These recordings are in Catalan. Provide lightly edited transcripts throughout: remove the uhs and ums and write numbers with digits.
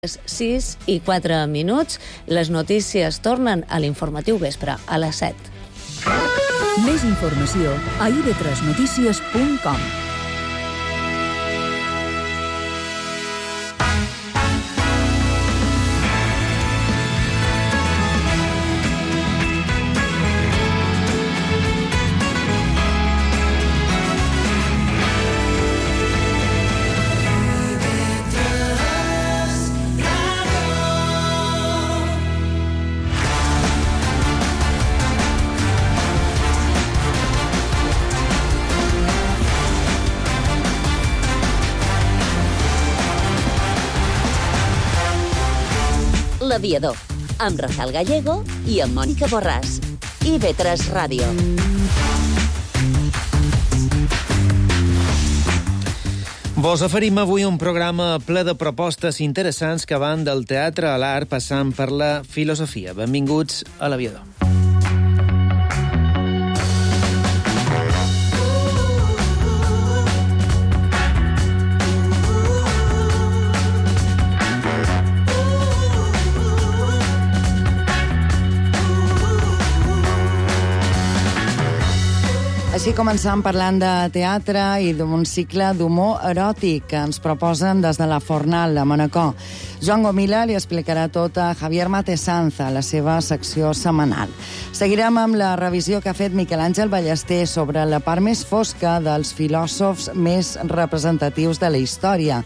6:04. Les notícies tornen a l'informatiu vespre, a les 7. Més informació a ib3notícies.com. L'Aviador, amb Rafael Gallego i amb Mònica Borràs. IB3 Ràdio. Vos oferim avui un programa ple de propostes interessants que van del teatre a l'art passant per la filosofia. Benvinguts a l'Aviador. Així començam parlant de teatre i d'un cicle d'humor eròtic que ens proposen des de la Fornal, a Manacor. Joan Gomila li explicarà tot a Javier Matesanza, a la seva secció setmanal. Seguirem amb la revisió que ha fet Miquel Àngel Ballester sobre la part més fosca dels filòsofs més representatius de la història.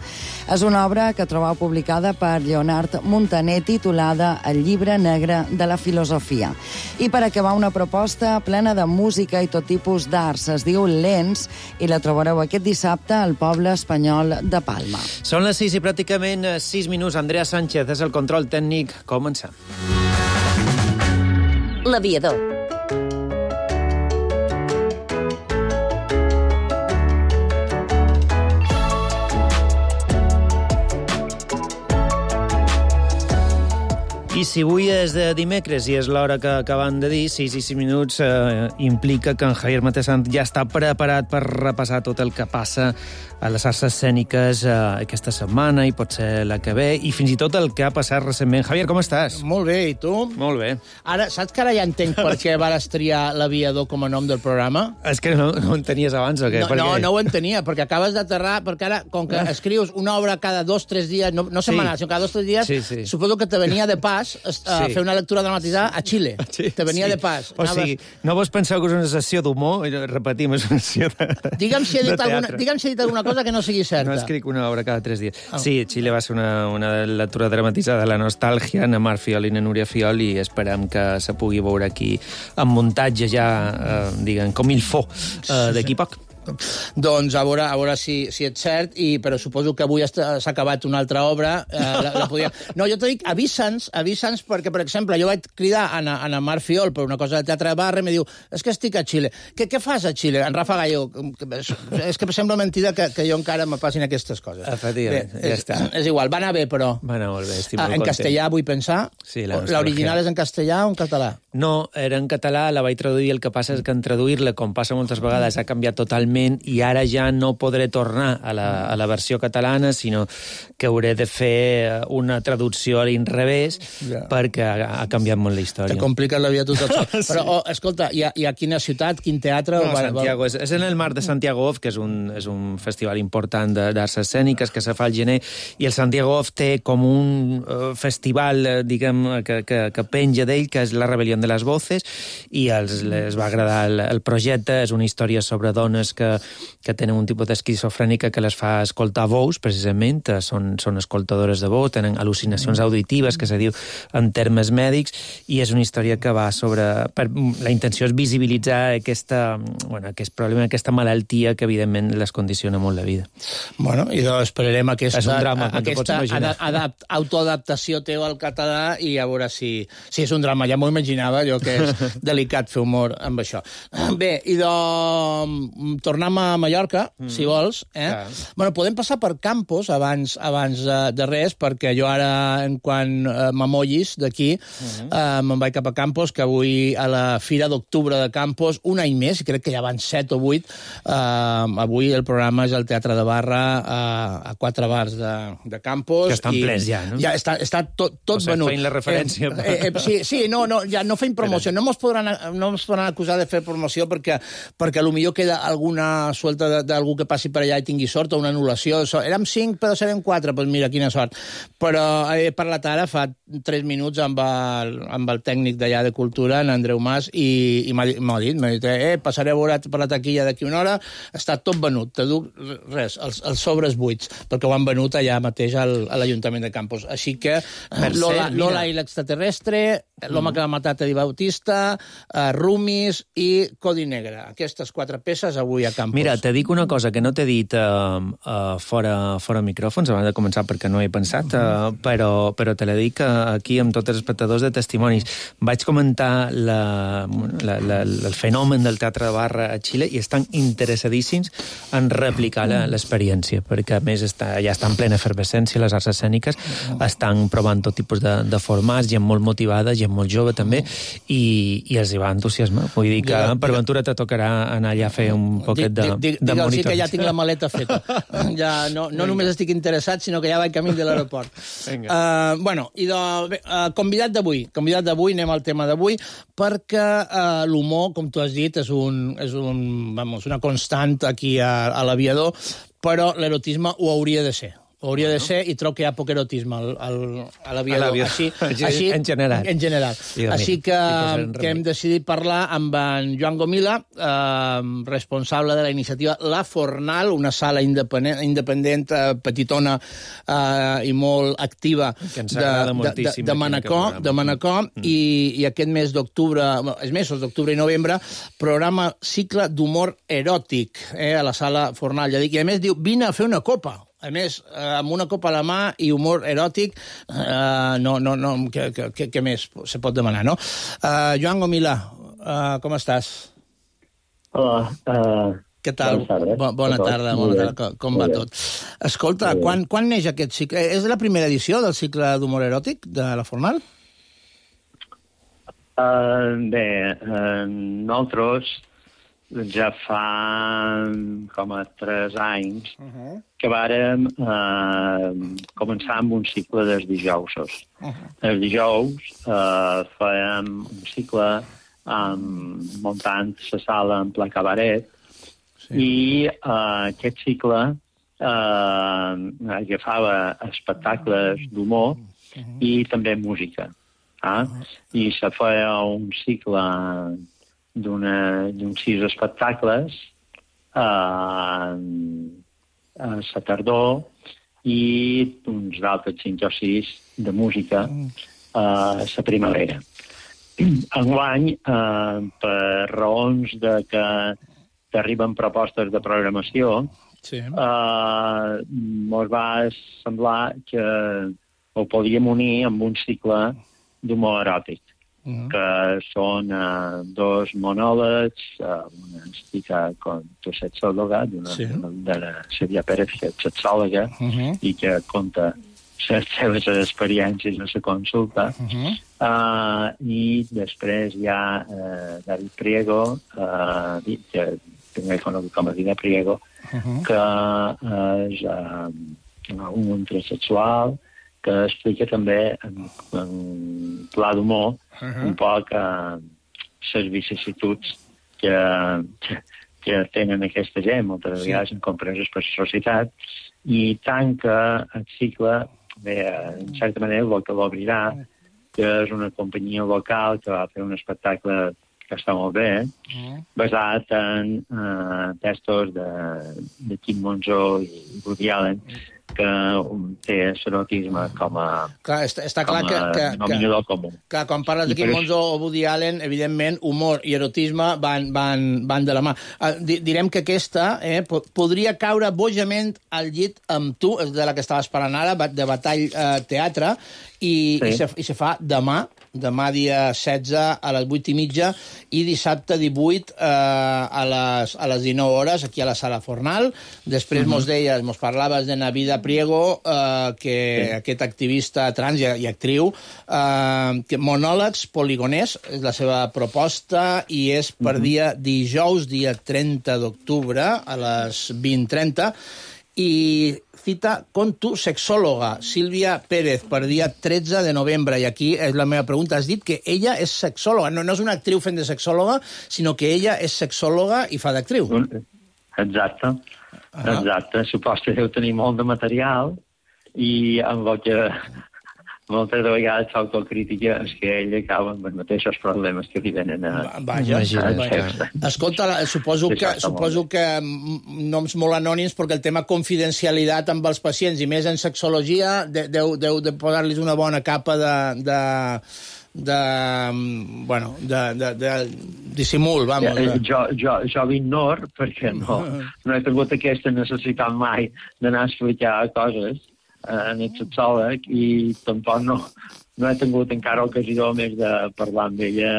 És una obra que trobeu publicada per Leonard Montaner titulada El llibre negre de la filosofia. I per acabar, una proposta plena de música i tot tipus d'arts. Es diu Lents i la trobareu aquest dissabte al poble espanyol de Palma. Són les 6 i pràcticament 6 minuts. Andrea Sánchez és el control tècnic. Comencem. L'Aviador. I si avui és de dimecres i és l'hora que acaben de dir, 6 i 6 minuts, implica que en Javier Matesanza ja està preparat per repassar tot el que passa a les arts escèniques aquesta setmana i potser la que ve, i fins i tot el que ha passat recentment. Javier, com estàs? Molt bé, i tu? Molt bé. Ara, saps que ara ja entenc per què vas triar l'Aviador com a nom del programa? És que no ho entenies abans, o què? No ho entenia, perquè acabes d'aterrar, perquè ara, com que escrius una obra cada 2 o 3 dies, no setmanals, sinó cada 2 o 3 dies, sí. suposo que te venia de pas fer una lectura dramatitzada a Xile. Sí, te venia de pas. O sigui, no vos penseu que és una sessió d'humor? Repetim, és una sessió de Digue'm si he dit alguna cosa que no sigui certa. No escric una obra cada 3 dies. Sí, Xile va ser una lectura dramatitzada de la nostàlgia, na Mar Fiol i na Núria Fiol, i esperem que se pugui veure aquí en muntatge ja, diguem, com il faut, d'aquí poc. Doncs a veure si és cert, però suposo que avui s'ha acabat una altra obra. No, jo t'ho dic, avisa'ns, perquè, per exemple, jo vaig cridar a na Mar Fiol per una cosa de teatre de barra i em diu, és que estic a Xile. Què fas a Xile? En Rafa Gallego, és que sembla mentida que jo encara me passin aquestes coses. Efectivament, ja està. És igual, va anar bé, però... Va anar molt bé, estic molt content. En castellà, vull pensar. Sí, l'original és en castellà o en català? No, era en català, la vaig traduir, el que passa és que en traduir-la, com passa moltes vegades, ha canviat totalment, i ara ja no podré tornar a la versió catalana, sinó que hauré de fer una traducció a l'inrevés, perquè ha canviat molt la història. Te complica la vida tot això. Sí. Però, escolta, hi ha quina ciutat, quin teatre? No, Santiago. És en el marc de Santiago Off, que és un festival important d'arts escèniques que se fa al gener, i el Santiago Off té com un festival, diguem, que penja d'ell, que és La rebel·lió de les voces, i els va agradar el projecte. És una història sobre dones que tenen un tipus d'esquizofrènica que les fa escoltar veus, precisament, són escoltadores de veu, tenen al·lucinacions auditives, que se diu en termes mèdics, i és una història que va sobre... La intenció és visibilitzar aquest problema, aquesta malaltia que, evidentment, les condiciona molt la vida. Bueno, i doncs esperarem aquesta autoadaptació autoadaptació teva al català i a veure si és un drama. Ja m'ho imaginava, m'explicava jo que és delicat fer humor amb això. Bé, i tornem a Mallorca, si vols. Bueno, podem passar per Campos abans de res, perquè jo ara, en quan m'amollis d'aquí, me'n vaig cap a Campos, que avui a la Fira d'Octubre de Campos, un any més, crec que ja van 7 o 8, avui el programa és al Teatre de Barra a 4 bars de Campos. Que estan plens ja, no? Ja està tot venut. Feien la referència. Sí, ja no feim promoció. No ens podran acusar de fer promoció perquè potser queda alguna suelta d'algú que passi per allà i tingui sort o una anul·lació. Érem 5, però serem 4. Doncs mira, quina sort. Però he parlat ara fa 3 minuts amb el tècnic d'allà de Cultura, en Andreu Mas, i m'ha dit, passaré a veure per la taquilla d'aquí una hora, està tot venut, te duc res, els sobres buits, perquè ho han venut allà mateix a l'Ajuntament de Campos. Així que Lola i l'extraterrestre, l'home que va matar Teddy Bautista, Rumis i Codi Negre. Aquestes 4 peces avui a Campos. Mira, te dic una cosa que no t'he dit fora micròfons, abans de començar, perquè no he pensat, però te la dic aquí amb tots els espectadors de testimonis. Vaig comentar el fenomen del Teatre de Barra a Xile i estan interessadíssims en replicar l'experiència, perquè a més ja està en plena efervescència les arts escèniques, estan provant tot tipus de formats, gent molt motivada, gent molt jove també, i els hi va entusiasmar. Vull dir que per ventura te tocarà anar allà a fer un poquet de monitor. Digue'ls que ja tinc la maleta feta. Ja no només estic interessat, sinó que ja vaig camí de l'aeroport. Bueno, i convidat d'avui, anem al tema d'avui, perquè l'humor, com tu has dit, és una constant aquí a l'Aviador, però l'erotisme ho hauria de ser. Hauria de ser, i trobo que hi ha poc erotisme a l'Aviador. Així, en general. Així que hem decidit parlar amb en Joan Gomila, responsable de la iniciativa La Fornal, una sala independent, petitona i molt activa de Manacor, i aquest mes d'octubre, els mesos d'octubre i novembre, programa cicle d'humor eròtic a la sala Fornal. I a més diu, vine a fer una copa. A més, amb una copa a la mà i humor eròtic, què més se pot demanar, no? Joan Gomila, com estàs? Hola. Què tal? Bona tarda, com va tot? Escolta, quan neix aquest cicle? És la primera edició del cicle d'humor eròtic de la Fornal? Bé, nosaltres ja fa com a 3 anys que vàrem començar amb un cicle dels dijousos. Els dijous fèiem un cicle muntant la sala en pla cabaret i aquest cicle agafava espectacles d'humor i també música. I se feia un cicle d'uns 6 espectacles a la tardor i uns altres 5 o 6 de música a la primavera. Enguany, per raons de que t'arriben propostes de programació, ens va semblar que ho podíem unir amb un cicle d'humor eròtic, que són 2 monòlegs, una explica com tu ets sexòloga, de la Sílvia Pérez, que és sexòloga, i que conta les seves experiències a la consulta. I després hi ha David Priego, que també conegut com a Vida Priego, que és un transexual, que explica també en pla d'humor un poc les vicissituds que tenen aquesta gent, moltes vegades incompreses per la societat, i tant que el cicle, bé, en certa manera, el que l'obrirà, que és una companyia local que va fer un espectacle que està molt bé, basat en textos de Quim Monzó i Woody Allen, que té l'erotisme com a denominador comú. Clar, quan parles de Quim Monzó o Woody Allen, evidentment, humor i erotisme van de la mà. Direm que aquesta podria caure bojament al llit amb tu, de la que estaves parlant ara, de Batall Teatre, i se fa demà demà dia 16 a les 8:30 i dissabte 18 a les 19 hores aquí a la Sala Fornal. Després mos parlaves de Navida Priego, que aquest activista trans i actriu, que monòlegs poligoners és la seva proposta i és per dijous, dia 30 d'octubre, a les 20:30, i cita con tu sexòloga, Sílvia Pérez, per dia 13 de novembre. I aquí és la meva pregunta. Has dit que ella és sexòloga. No és una actriu fent de sexòloga, sinó que ella és sexòloga i fa d'actriu. Exacte. Exacte. Suposo que deu tenir molt de material i amb el que moltes vegades s'autocrítica és que ell acaba amb els mateixos problemes que li venen a... Vaja. Escolta, suposo que noms molt anònims, perquè el tema confidencialitat amb els pacients, i més en sexologia, deu de posar-los una bona capa de dissimul, vamos. Jo l'ignoro perquè no he tingut aquesta necessitat mai d'anar a explicar coses en el sexòleg i tampoc no he tingut encara ocasió més de parlar amb ella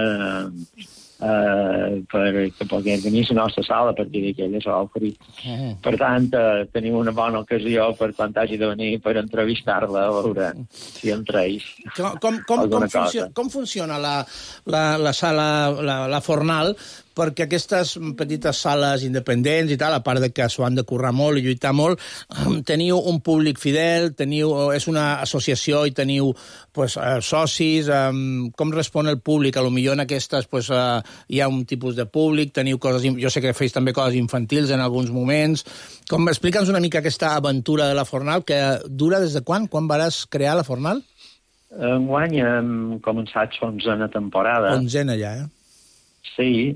perquè pogués venir a la nostra sala a partir d'aquella s'ha oferit. Per tant, tenim una bona ocasió per quan hagi de venir per entrevistar-la, a veure si entre ells alguna cosa. Com funciona la sala, la Fornal? Perquè aquestes petites sales independents i tal, a part de que s'ho han de currar molt i lluitar molt, teniu un públic fidel, és una associació i teniu socis. Com respon el públic? A lo millor en aquestes hi ha un tipus de públic, teniu coses... Jo sé que feu també coses infantils en alguns moments. Explica'ns una mica aquesta aventura de la Fornal, que dura des de quan? Quan vas crear la Fornal? Enguany hem començat 11a temporada. 11a ja, Sí,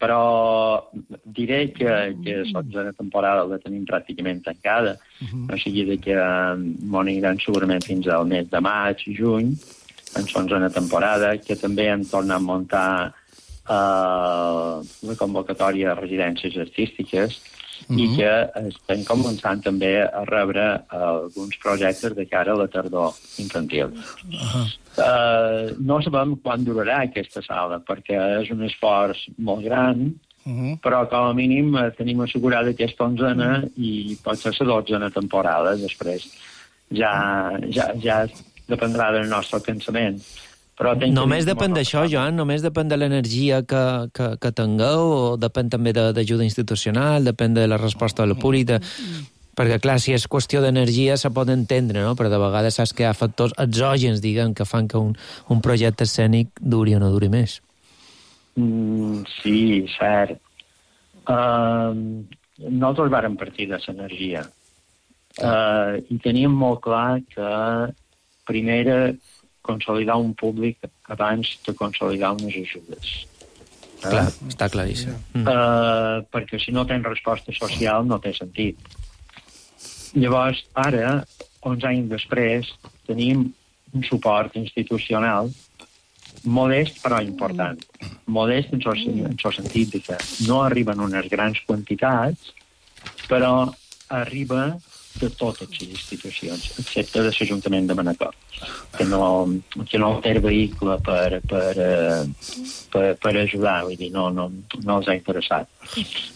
però diré que la temporada la tenim pràcticament tancada, o sigui que m'aniran segurament fins al mes de maig, juny, en 11a temporada, que també hem tornat a muntar la convocatòria de residències artístiques i que estem començant també a rebre alguns projectes de cara a la tardor infantil. No sabem quan durarà aquesta sala, perquè és un esforç molt gran, però com a mínim tenim assegurada aquesta 11a i pot ser la 12a temporada. Després ja dependrà del nostre cansament. Només depèn d'això, Joan? Només depèn de l'energia que tingueu o depèn també d'ajuda institucional, depèn de la resposta del públic? Perquè, clar, si és qüestió d'energia se pot entendre, no? Però de vegades saps que hi ha factors exògens, diguem, que fan que un projecte escènic duri o no duri més. Sí, cert. Nosaltres vàrem partir de l'energia i teníem molt clar que primer consolidar un públic abans de consolidar unes ajudes. Clar, està claríssim. Perquè si no tens resposta social no té sentit. Llavors, ara, 11 anys després, tenim un suport institucional modest però important. Modest en el sentit que no arriben unes grans quantitats, però arriba de totes les institucions, excepte de l'Ajuntament de Manacor, que no té vehicle per ajudar, vull dir, no els ha interessat.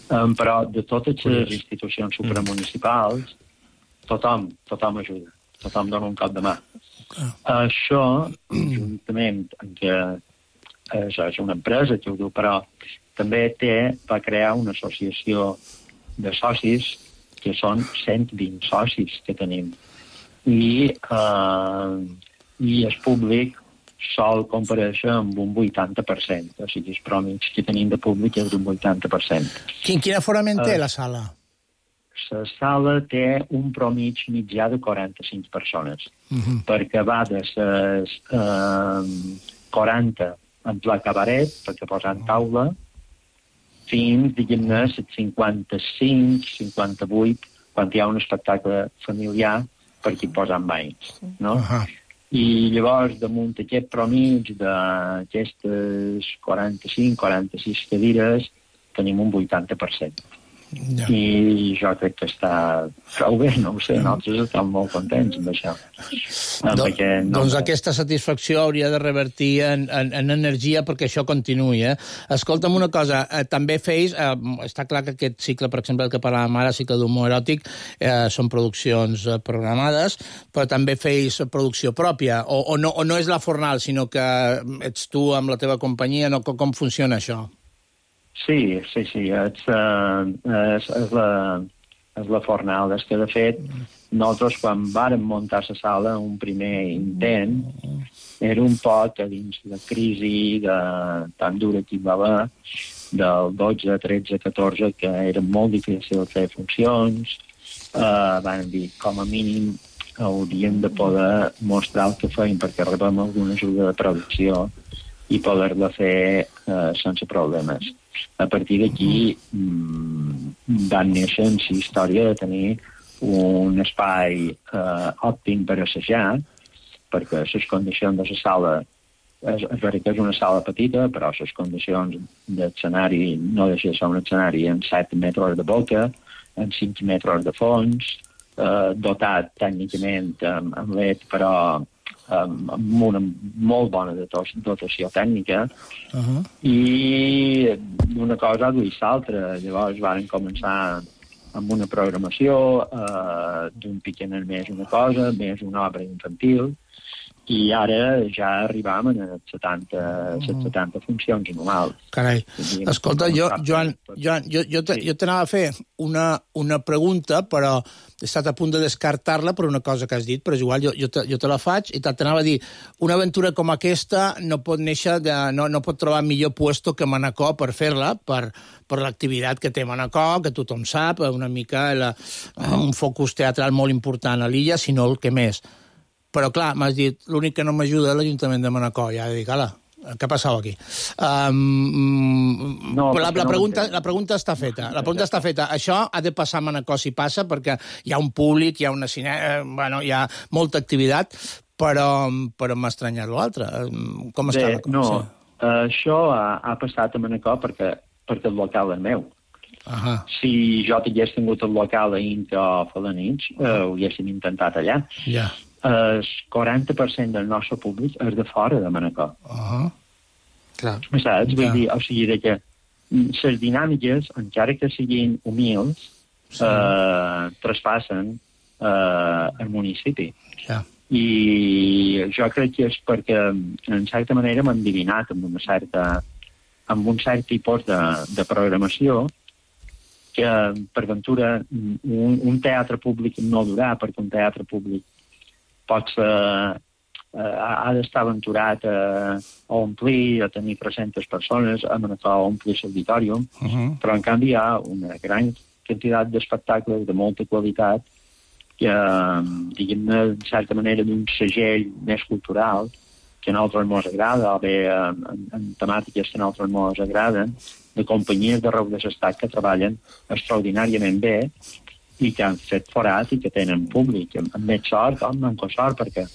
Però de totes les institucions supramunicipals, tothom ajuda, tothom dona un cop de mà. Això, juntament amb que això és una empresa que ho diu, però també va crear una associació de socis que són 120 socis que tenim. I el públic sol comparèixer amb un 80%. O sigui, els pròmits que tenim de públic és d'un 80%. Quin aforament té la sala? La sala té un promig mitjà de 45 persones, perquè va de les 40 en pla cabaret, perquè posen taula, fins, diguem-ne, 55, 58, quan hi ha un espectacle familiar per aquí posant banys, no? I llavors, damunt aquest promig d'aquestes 45, 46 cadires, tenim un 80%. I jo crec que està prou bé, no ho sé, nosaltres estem molt contents amb això. Doncs aquesta satisfacció hauria de revertir en energia perquè això continuï. Escolta'm una cosa, també feis, està clar que aquest cicle, per exemple, el que parlàvem ara, cicle d'humor eròtic, són produccions programades, però també feis producció pròpia, o no és la Fornal, sinó que ets tu amb la teva companyia, no? Com funciona això? Sí, és la Fornal. És que, de fet, nosaltres, quan vàrem muntar la sala, un primer intent, era un poc a dins la crisi tan dura que hi va haver, del 12, 13, 14, que era molt difícil fer funcions. Van dir, com a mínim, hauríem de poder mostrar el que feim, perquè rebem alguna ajuda de producció i poder-la fer sense problemes. A partir d'aquí van néixer en la història de tenir un espai òptim per assajar, perquè les condicions de la sala, és veritat que és una sala petita, però les condicions d'escenari no deixa de ser un escenari en 7 metres de boca, en 5 metres de fons, dotat tècnicament amb LED, però amb una molt bona dotació tècnica, i d'una cosa a duir l'altra. Llavors van començar amb una programació d'un piquener més una cosa, més una obra infantil, i ara ja arribam a les 70 funcions anuals. Carai, escolta, Joan, jo t'anava a fer una pregunta, però he estat a punt de descartar-la per una cosa que has dit, però és igual, jo te la faig, i t'anava a dir, una aventura com aquesta no pot néixer, no pot trobar millor puesto que Manacor per fer-la, per l'activitat que té Manacor, que tothom sap, una mica un focus teatral molt important a l'illa, si no el que més. Però, clar, m'has dit, l'únic que no m'ajuda és l'Ajuntament de Manacor. Ja he dit, ala, què passava aquí? La pregunta està feta. Això ha de passar a Manacor si passa, perquè hi ha un públic, hi ha una cinema, hi ha molta activitat, però m'ha estranyat l'altre. Com està la cosa? No, això ha passat a Manacor perquè el local és meu. Si jo hagués tingut el local a Inca o Felanitx, ho haguéssim intentat allà. Ja. El 40% del nostre públic és de fora de Manacor. Clar. Saps? Vull dir, o sigui, que les dinàmiques, encara que siguin humils, traspassen el municipi. Ja. I jo crec que és perquè, en certa manera, m'han endivinat amb un cert tipus de programació que, per ventura, un teatre públic no durà, perquè un teatre públic ha d'estar aventurat a omplir, a tenir 300 persones, a omplir l'auditorium, però en canvi hi ha una gran quantitat d'espectacles de molta qualitat que, diguem-ne, de certa manera, d'un segell més cultural que a nosaltres ens agrada, o bé en temàtiques que a nosaltres ens agraden, de companyies d'arreu de l'estat que treballen extraordinàriament bé i que han fet forat i que tenen públic, amb més sort o amb menys sort, perquè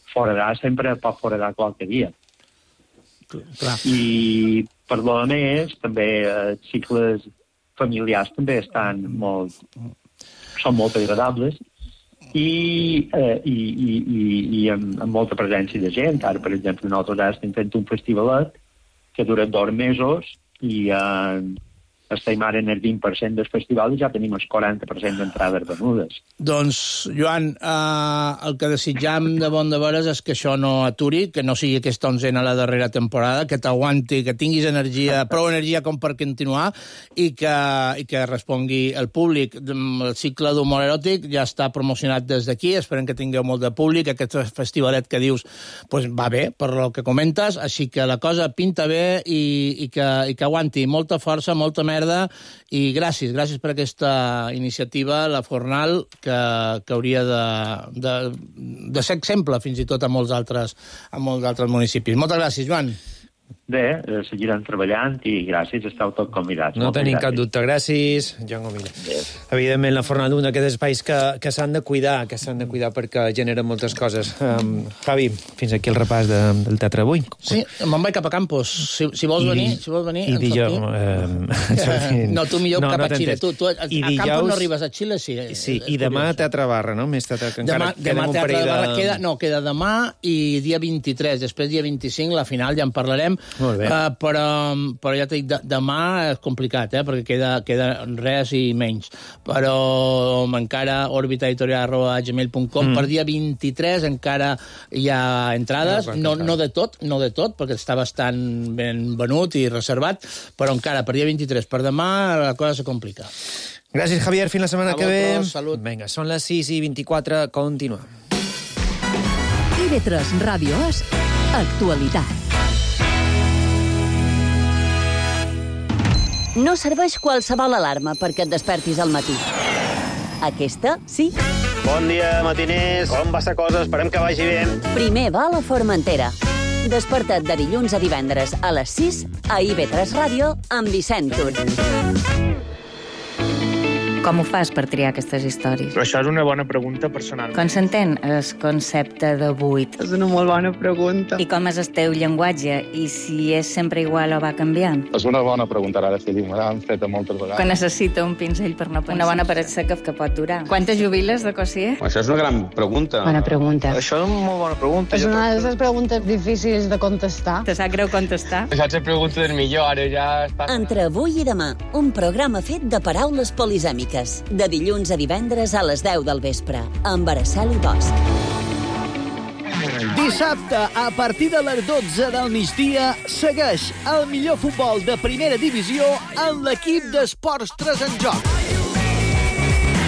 foradar sempre pot foradar qualque dia. Clar. I per lo més, també cicles familiars també són molt agradables i amb molta presència de gent. Ara, per exemple, nosaltres ara estem fent un festivalet que dura 2 mesos i estem ara en el 20% del festival i ja tenim el 40% d'entrades venudes. Doncs, Joan, el que desitjam de bon de veres és que això no aturi, que no sigui aquesta 11a la darrera temporada, que t'aguanti, que tinguis prou energia com per continuar i que respongui el públic. El cicle d'humor eròtic ja està promocionat des d'aquí, esperem que tingueu molt de públic, aquest festivalet que dius va bé, per el que comentes, així que la cosa pinta bé i que aguanti. Molta força, molta merda, i gràcies per aquesta iniciativa, la Fornal, que hauria de ser exemple fins i tot a molts altres municipis. Moltes gràcies, Joan. Bé, seguirem treballant i gràcies, esteu tots convidats. No tenim cap dubte. Gràcies, Joan Gomila. Evidentment, la Fornada, un d'aquests espais que s'han de cuidar, perquè generen moltes coses. Javi, fins aquí el repàs del teatre avui. Sí, me'n vaig cap a Campos. Si vols venir, I dijous... No, tu millor cap a Xile. Tu a Campos no arribes, a Xile sí. Sí, i demà Teatre Barra, no? Més teatre, que encara demà Teatre Barra queda demà i dia 23. Després, dia 25, la final, ja en parlarem. Molt bé. Però ja t'he dit, demà és complicat, perquè queda res i menys. Però encara orbitaeditorial@gmail.com. Per dia 23 encara hi ha entrades, no de tot, perquè està bastant ben venut i reservat, però encara per dia 23. Per demà la cosa se complica. Gràcies, Javier. Fins la setmana que ve. Salut. Vinga, són les 6:24. Continuem. TV3 Ràdio és actualitat. No serveix qualsevol alarma perquè et despertis al matí. Aquesta, sí. Bon dia, matiners. Com va la cosa? Esperem que vagi bé. Primer va a la Formentera. Desperta't de dilluns a divendres a les 6 a IB3 Ràdio amb Vicent Tur. Com ho fas per triar aquestes històries? Però això és una bona pregunta personal. Com s'entén el concepte de buit? És una molt bona pregunta. I com és el teu llenguatge? I si és sempre igual o va canviant? És una bona pregunta, ara sí, me l'han fet moltes vegades. Quan necessita un pinzell per no pensar. Una bona paret seca que pot durar. Quantes jubiles de cosier? Això és una gran pregunta. Bona pregunta. Això és una molt bona pregunta. És una de les preguntes difícils de contestar. Te sap greu contestar? Això és la pregunta del millor, ara ja està... Entre avui i demà, un programa fet de paraules polisèmiques. De dilluns a divendres a les 10 del vespre, amb Araceli Bosch. Dissabte, a partir de les 12 del migdia, segueix el millor futbol de primera divisió en l'equip d'Esports 3 en Joc.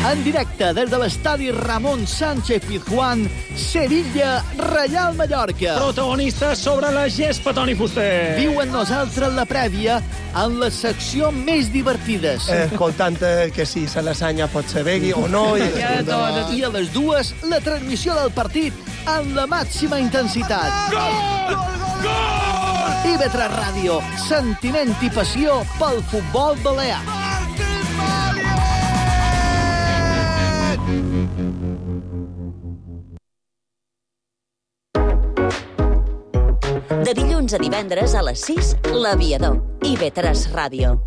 En directe des de l'estadi Ramon Sánchez Pizjuán, Sevilla, Reial Mallorca. Protagonistes sobre la gespa, Toni Fuster. Viu amb nosaltres la prèvia en la secció més divertides. Escoltant que si se l'asanya pot ser begui o no. I a les 2, la transmissió del partit amb la màxima intensitat. Gol! Gol! IB3 Ràdio, sentiment i passió pel futbol balear. De dilluns a divendres a les 6, l'Aviador. IB3 Ràdio.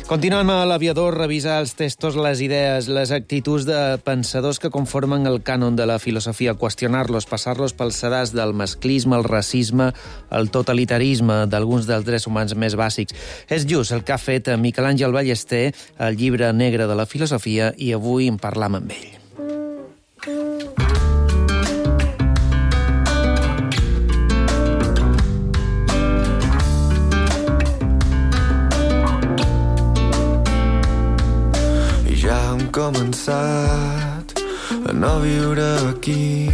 Continuem a l'Aviador, revisar els textos, les idees, les actituds de pensadors que conformen el cànon de la filosofia, qüestionar-los, passar-los pel sedàs del masclisme, el racisme, el totalitarisme, d'alguns dels drets humans més bàsics. És just el que ha fet Miquel Àngel Ballester, el llibre negre de la filosofia, i avui en parlam amb ell. Començat a no viure aquí,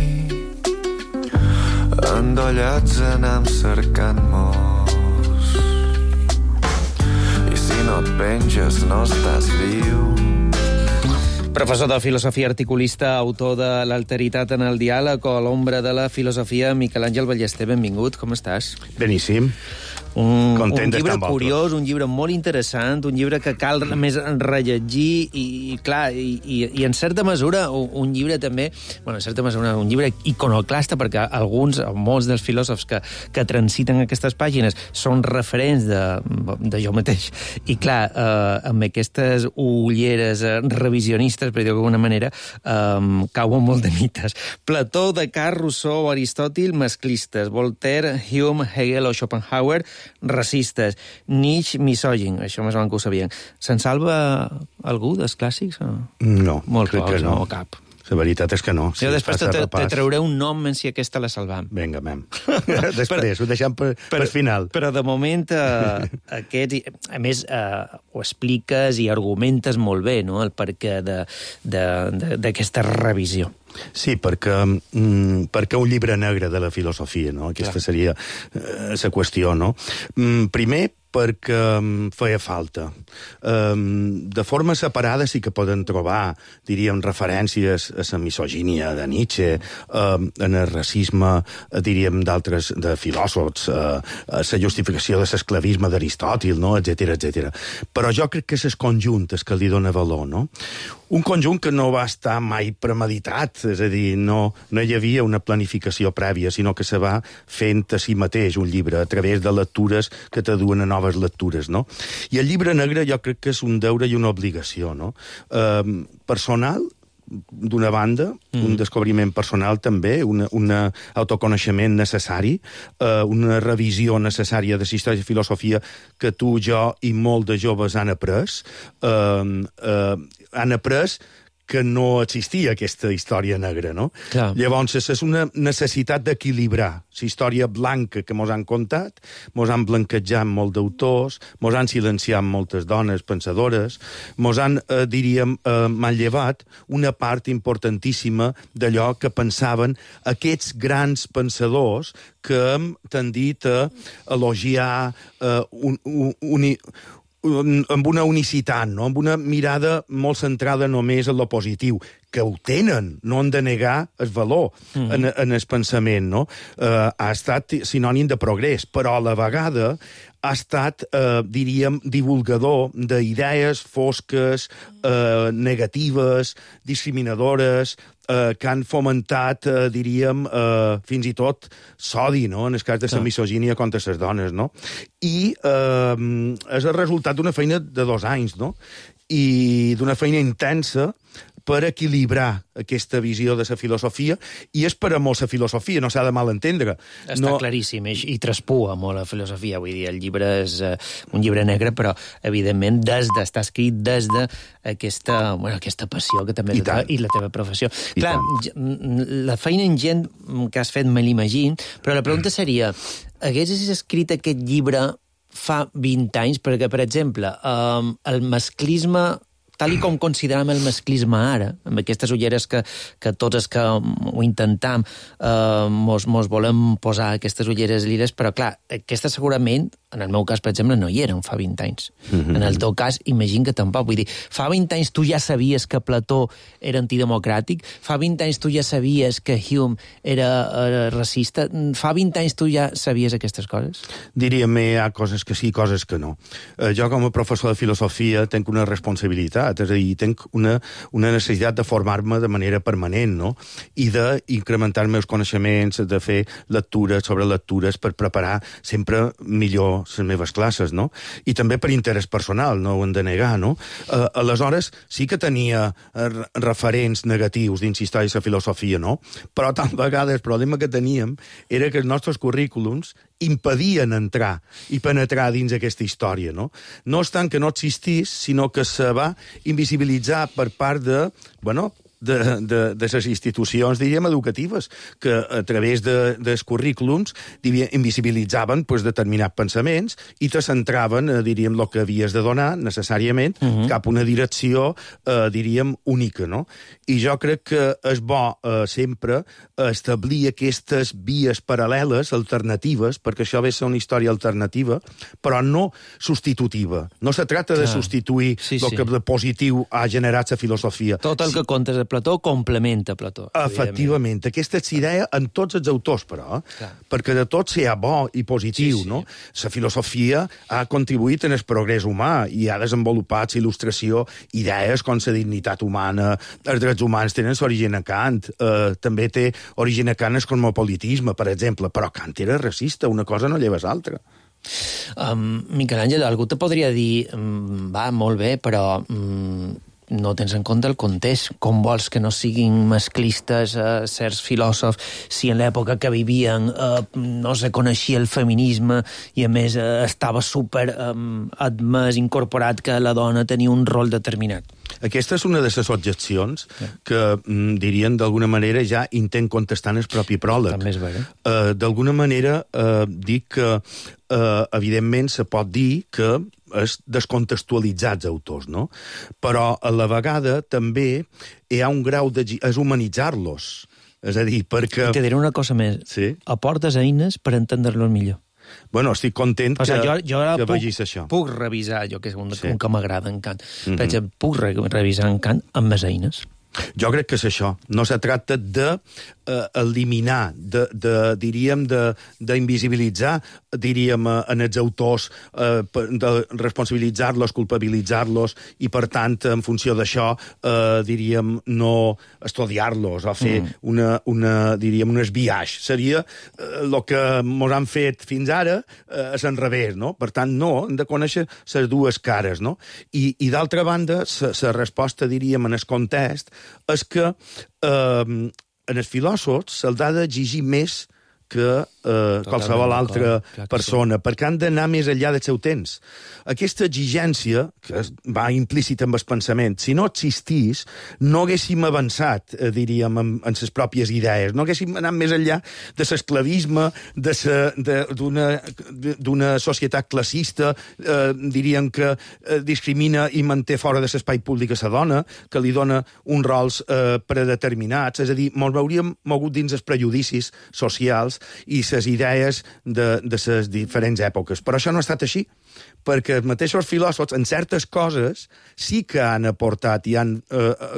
endollats anem cercant morts, i si no et penges no estàs viu. Professor de filosofia, articulista, autor de l'alteritat en el diàleg o l'ombra de la filosofia, Miquel Àngel Ballester, benvingut, com estàs? Beníssim. Un llibre curiós, un llibre molt interessant, un llibre que cal més rellegir i clar, i en certa mesura un llibre també, bueno, en certa mesura un llibre iconoclasta, perquè alguns, molts dels filòsofs que transiten aquestes pàgines són referents de jo mateix. I clar, amb aquestes ulleres revisionistes, per dir-ho d'alguna manera, cauen molt de mites. Plató, Descartes, Rousseau, Aristòtil, masclistes. Voltaire, Hume, Hegel o Schopenhauer, racistes. Nietzsche, misògin. Això més o menys que ho sabien. Se'n salva algú dels clàssics? No, molt crec pocs, que no. O cap. La veritat és que no. Jo després te trauré un nom en si aquesta la salvam. Vinga, mem. Després, ho deixem per final. Però de moment, aquest, a més, ho expliques i argumentes molt bé, no?, el perquè d'aquesta revisió. Sí, perquè un llibre negre de la filosofia, no? Aquesta seria la qüestió, no? Primer, perquè feia falta. De forma separada sí que poden trobar, diríem, referències a la misogínia de Nietzsche, en el racisme, diríem, d'altres de filòsofs, a la justificació de l'esclavisme d'Aristòtil, no? etc. Però jo crec que és el conjunt que li dona valor, no? Un conjunt que no va estar mai premeditat, és a dir, no hi havia una planificació prèvia, sinó que se va fent a si mateix un llibre, a través de lectures que t'aduen a noves lectures, no? I el llibre negre jo crec que és un deure i una obligació, no? Personal, d'una banda, un descobriment personal també, un autoconeixement necessari, una revisió necessària de la història i filosofia que tu, jo i molt de joves han après, que no existia aquesta història negra, no? Clar. Llavors, és una necessitat d'equilibrar la història blanca que mos han contat, mos han blanquejat molt d'autors, mos han silenciat moltes dones pensadores, mos han, diríem, manllevat una part importantíssima d'allò que pensaven aquests grans pensadors que hem tendit a elogiar amb una unicitat, no? Amb una mirada molt centrada només en lo positiu, que ho tenen, no han de negar el valor en el pensament, no? Ha estat sinònim de progrés, però a la vegada ha estat, diríem, divulgador d'idees fosques, negatives, discriminadores, que han fomentat, diríem, fins i tot s'odi, no?, en el cas de la misogínia contra les dones, no? I és el resultat d'una feina de 2 anys, no?, i d'una feina intensa per equilibrar aquesta visió de la filosofia, i és per a molt la filosofia, no s'ha de malentendre. Està claríssim, i traspua molt la filosofia, vull dir, el llibre és un llibre negre, però, evidentment, està escrit des d'aquesta passió que també i la teva professió. Clar, la feina ingent que has fet me l'imagino, però la pregunta seria, haguessis escrit aquest llibre fa 20 anys, perquè, per exemple, el masclisme, tal i com considerem el masclisme ara, amb aquestes ulleres que tots els que ho intentam mos volem posar aquestes ulleres liles, però clar, aquesta segurament, en el meu cas, per exemple, no hi eren fa 20 anys. En el teu cas, imagino que tampoc. Vull dir, fa 20 anys tu ja sabies que Plató era antidemocràtic, fa 20 anys tu ja sabies que Hume era racista, fa 20 anys tu ja sabies aquestes coses? Diríem, hi ha coses que sí, coses que no. Jo, com a professor de filosofia, tenc una responsabilitat, és a dir, tenc una necessitat de formar-me de manera permanent, no?, i d'incrementar els meus coneixements, de fer lectures sobre lectures per preparar sempre millor les meves classes, no? I també per interès personal, no ho hem de negar, no? Aleshores, sí que tenia referents negatius dins història i la filosofia, no? Però tal vegada el problema que teníem era que els nostres currículums impedien entrar i penetrar dins aquesta història, no? No és tant que no existís, sinó que se va invisibilitzar per part de les institucions, diríem, educatives, que a través dels currículums invisibilitzaven determinats pensaments i te centraven, diríem, el que havies de donar necessàriament cap a una direcció, diríem, única, no? I jo crec que és bo sempre establir aquestes vies paral·leles, alternatives, perquè això ve a ser una història alternativa, però no substitutiva. No se tracta de substituir el que de positiu ha generat la filosofia. Tot el que contes de Plató complementa Plató. Efectivament. Aquesta és idea en tots els autors, però, perquè de tot sigui bo i positiu, no? La filosofia ha contribuït en el progrés humà i ha desenvolupat la il·lustració idees com la dignitat humana, els drets humans tenen l'origen a Kant, també té origen a Kant el cosmopolitisme, per exemple, però Kant era racista, una cosa no lleva l'altra. Miquel Àngel, algú te podria dir, va, molt bé, però no tens en compte el context. Com vols que no siguin masclistes certs filòsofs si en l'època que vivien no se coneixia el feminisme i a més estava super admès, incorporat que la dona tenia un rol determinat? Aquesta és una de les objeccions que, dirien, d'alguna manera ja intent contestar en el propi pròleg. També és vera. D'alguna manera dic que, evidentment, se pot dir que és descontextualitzar els autors, no? Però a la vegada també hi ha un grau de... és humanitzar-los. És a dir, perquè... Te diré una cosa més. Sí? Aportes eines per entendre-los millor. Bueno, estic content o sigui, jo que vegis això. Puc revisar, jo que és un que m'agrada en Kant, per exemple, puc revisar en Kant amb més eines. Jo crec que és això. No se tracta d'eliminar, diríem, d'invisibilitzar, diríem, en els autors, de responsabilitzar-los, culpabilitzar-los, i, per tant, en funció d'això, diríem, no estudiar-los o fer diríem, un esbiaix. Seria el que ens han fet fins ara a l'enrevés, no? Per tant, no, hem de conèixer les dues cares, no? I d'altra banda, la resposta, diríem, en el context, és que en els filòsofs se'ls ha d'exigir més que qualsevol altra persona, perquè han d'anar més enllà del seu temps. Aquesta exigència, que va implícita amb el pensament, si no existís, no haguéssim avançat, diríem, en les pròpies idees, no haguéssim anat més enllà de l'esclavisme, d'una societat classista, diríem que discrimina i manté fora de l'espai públic a la dona, que li dona uns rols predeterminats, és a dir, ens hauríem mogut dins els prejudicis socials i les idees de les diferents èpoques. Però això no ha estat així, perquè els mateixos filòsofs, en certes coses, sí que han aportat i han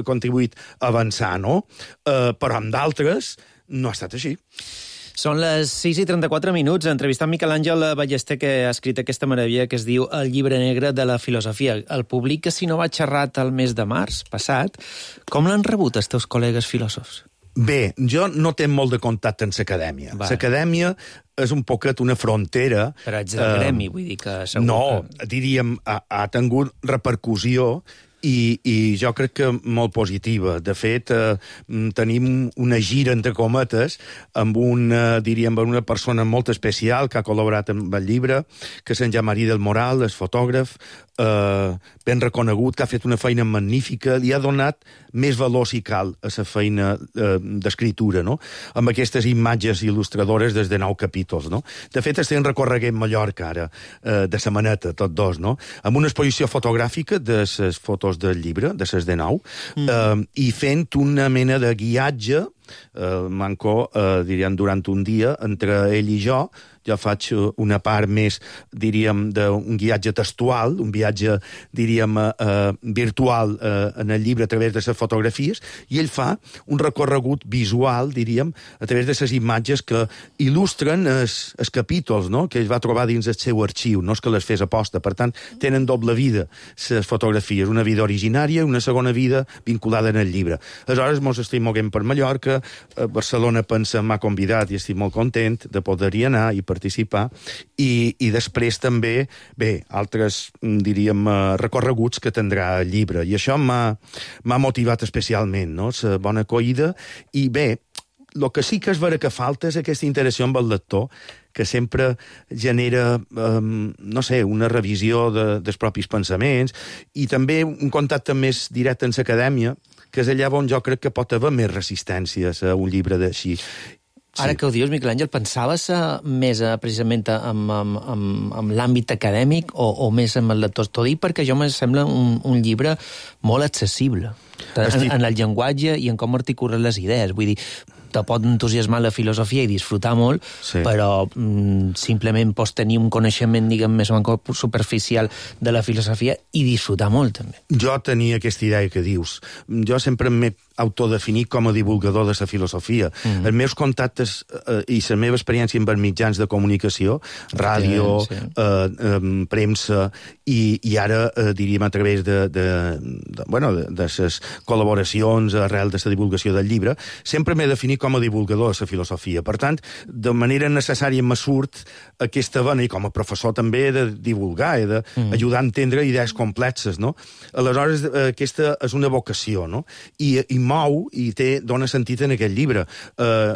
contribuït a avançar, no? Però en d'altres no ha estat així. Són les 6:34, entrevistant Miquel Àngel Ballester, que ha escrit aquesta meravella que es diu El llibre negre de la filosofia. El publica, si no va xerrat, el mes de març passat. Com l'han rebut els teus col·legues filòsofs? Bé, jo no tinc molt de contacte amb l'acadèmia. L'acadèmia és un poquet una frontera... Però ets del gremi, vull dir que segur no, diríem, ha tingut repercussió i jo crec que molt positiva. De fet, tenim una gira, entre cometes, amb una persona molt especial que ha col·laborat amb el llibre, que és en Jean-Marie del Moral, és fotògraf, ben reconegut, que ha fet una feina magnífica, li ha donat més valor, si cal, a la feina d'escriptura, no? Amb aquestes imatges il·lustradores des de 9 capítols, no? De fet, estem recorreguent Mallorca, ara, de setmaneta, tots dos, no? Amb una exposició fotogràfica de les fotos del llibre, de les de 9, i fent una mena de guiatge, manco, diríem, durant un dia, entre ell i jo faig una part més, diríem, d'un guiatge textual, un viatge, diríem, virtual en el llibre a través de les fotografies, i ell fa un recorregut visual, diríem, a través de les imatges que il·lustren els capítols, no?, que ell va trobar dins el seu arxiu, no és que les fes aposta. Per tant, tenen doble vida, les fotografies, una vida originària i una segona vida vinculada en el llibre. Aleshores, mos estem moguent per Mallorca, Barcelona m'ha convidat i estic molt content de poder-hi anar i participar, i després també, bé, altres, diríem, recorreguts que tindrà el llibre, i això m'ha motivat especialment, no?, la bona acollida, i bé, el que sí que és vera que falta és aquesta interacció amb el lector, que sempre genera, no sé, una revisió dels propis pensaments, i també un contacte més directe amb l'acadèmia, que és allà on jo crec que pot haver més resistències a un llibre d'així. Ara que ho dius, Miquel Àngel, pensaves més precisament amb l'àmbit acadèmic o més amb el lector? T'ho dic perquè jo me sembla un llibre molt accessible en el llenguatge i en com articulen les idees. Vull dir, te pot entusiasmar la filosofia i disfrutar molt, però simplement pots tenir un coneixement, diguem, més o menys superficial de la filosofia i disfrutar molt, també. Jo tenia aquesta idea que dius. Jo sempre m'he autodefinit com a divulgador de la filosofia. Els meus contactes i la meva experiència amb els mitjans de comunicació, ràdio, premsa, i ara, diríem, a través de les col·laboracions arrel de la divulgació del llibre, sempre m'he definit com a divulgador de la filosofia. Per tant, de manera necessària me surt aquesta vena, i com a professor també, de divulgar, d'ajudar a entendre idees complexes, no? Aleshores, aquesta és una vocació, no? I mou i dona sentit en aquest llibre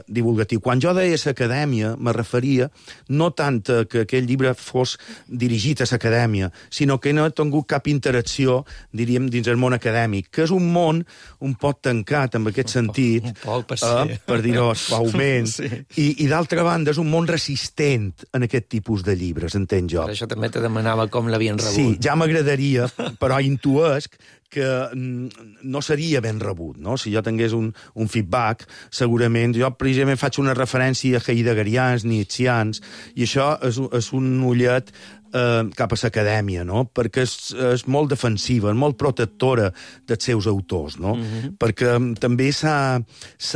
divulgatiu. Quan jo deia l'acadèmia, me referia no tant que aquell llibre fos dirigit a l'acadèmia, sinó que no he tingut cap interacció, diríem, dins el món acadèmic, que és un món un poc tancat en aquest sentit, per dir-ho suaument, i d'altra banda és un món resistent en aquest tipus de llibres, entenc jo. Per això també te demanava com l'havien rebut. Sí, ja m'agradaria, però intuesc que no seria ben rebut, no? Si jo tingués un feedback, segurament, jo precisament faig una referència a heideggerians, nietzscheans, i això és un ullet cap a l'acadèmia, no? Perquè és molt defensiva, molt protectora dels seus autors, no? Perquè també s'ha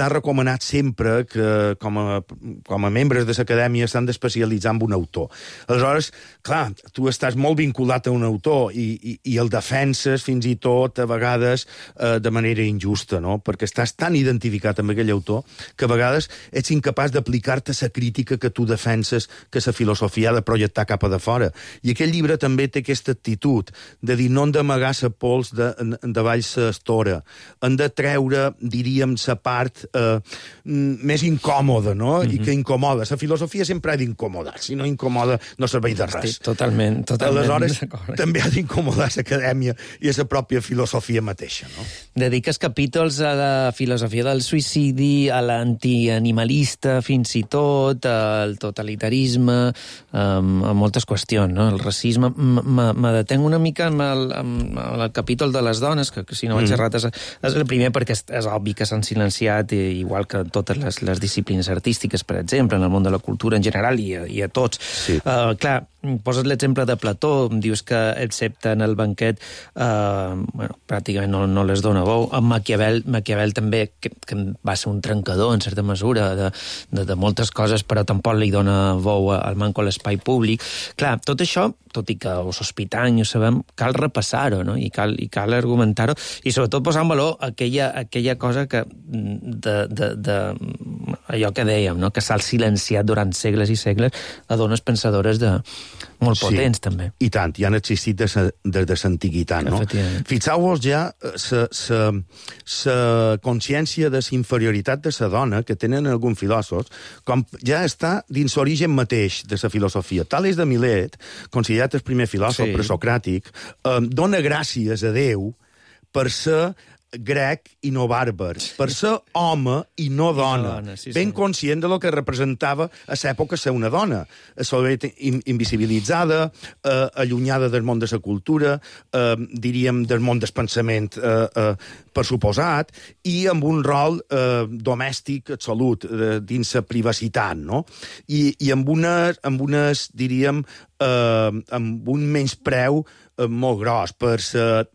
recomanat sempre que com a membres de l'acadèmia s'han d'especialitzar en un autor. Aleshores, clar, tu estàs molt vinculat a un autor i el defenses fins i tot a vegades de manera injusta, no? Perquè estàs tan identificat amb aquell autor que a vegades ets incapaç d'aplicar-te la crítica que tu defenses que la filosofia ha de projectar cap a de fora. I aquell llibre també té aquesta actitud de dir no hem d'amagar la pols davall l'estora, hem de treure, diríem, la part més incòmoda, no? I que incomoda. La filosofia sempre ha d'incomodar, si no incomoda no serveix de res. Totalment. Aleshores, també ha d'incomodar l'acadèmia i la pròpia filosofia mateixa, no? Dediques capítols a la filosofia del suïcidi, a l'antianimalista, fins i tot, al totalitarisme, a moltes qüestions, no? El racisme. Me detenc una mica amb el capítol de les dones, que si no vaig errat és el primer perquè és obvi que s'han silenciat, igual que totes les disciplines artístiques, per exemple, en el món de la cultura en general i a tots. Sí. Clar, poses l'exemple de Plató, dius que excepte en el banquet pràcticament no les dona bou. En Maquiavel també, que va ser un trencador en certa mesura de moltes coses, però tampoc li dona bou al manco a l'espai públic. Clar, tot això, tot i que ho sospitam i ho sabem, cal repassar-ho, no? I cal argumentar-ho, i sobretot posar en valor aquella cosa que allò que dèiem, no? Que s'ha silenciat durant segles i segles a dones pensadores molt potents, també. I tant, ja han existit des de l'antiguitat, no? Fixeu-vos ja la consciència de la inferioritat de la dona que tenen alguns filòsofs, com ja està dins l'origen mateix de la filosofia. Tales de Milet, considerat el primer filòsof presocràtic, dona gràcies a Déu per ser grec i no bàrbar, per ser home i no dona, ben conscient de lo que representava a l'època ser una dona, invisibilitzada, allunyada del món de la cultura, diríem del món del pensament per suposat, i amb un rol domèstic absolut, dins la privacitat, no? I amb unes, diríem, amb un menyspreu molt gros per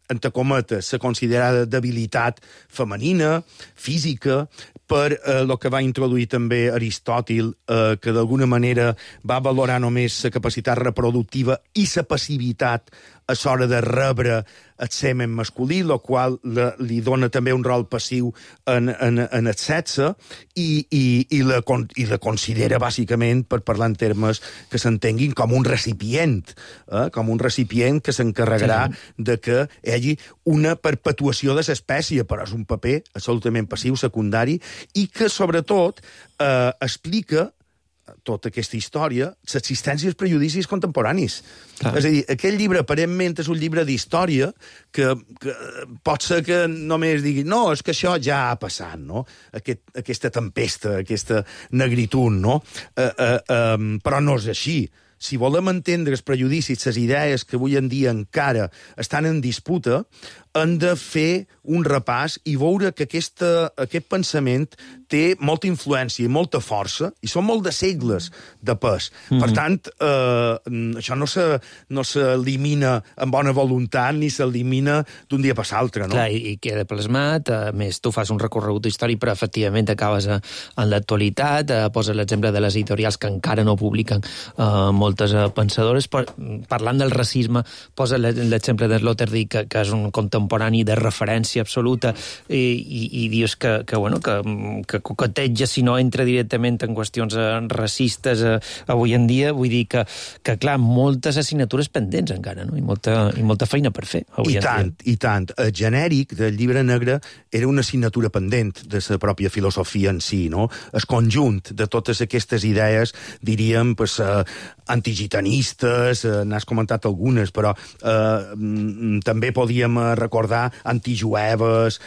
entre cometes, la considerada debilitat femenina, física, per el que va introduir també Aristòtil, que d'alguna manera va valorar només la capacitat reproductiva i la passivitat a l'hora de rebre el semen masculí, el qual li dona també un rol passiu en el sexe, i la considera, bàsicament, per parlar en termes que s'entenguin, com un recipient que s'encarregarà de que hi hagi una perpetuació de l'espècie, però és un paper absolutament passiu, secundari, i que, sobretot, explica tota aquesta història, l'existència dels prejudicis contemporanis. Clar. És a dir, aquell llibre aparentment és un llibre d'història que pot ser que només digui no, és que això ja ha passat, no? Aquesta tempesta, aquesta negritud, no? Però no és així. Si volem entendre els prejudicis, les idees que avui en dia encara estan en disputa, hem de fer un repàs i veure que aquest pensament té molta influència i molta força, i són molt de segles de pes. Per tant, això no s'elimina amb bona voluntat ni s'elimina d'un dia per l'altre, no? Clar, i queda plasmat. A més, tu fas un recorregut històric, però efectivament acabes en l'actualitat, poses l'exemple de les editorials que encara no publiquen moltes pensadores. Parlant del racisme, posa l'exemple de Sloterdijk, que és un contemporani de referència absoluta, i dius que coqueteja, si no entra directament en qüestions racistes avui en dia. Vull dir que clar, moltes assignatures pendents encara, no? I molta feina per fer avui en dia. I tant. El genèric del llibre negre era una assignatura pendent de la pròpia filosofia en si, no? El conjunt de totes aquestes idees, diríem, antigitanistes, n'has comentat algunes, però també podíem recordar antijueves,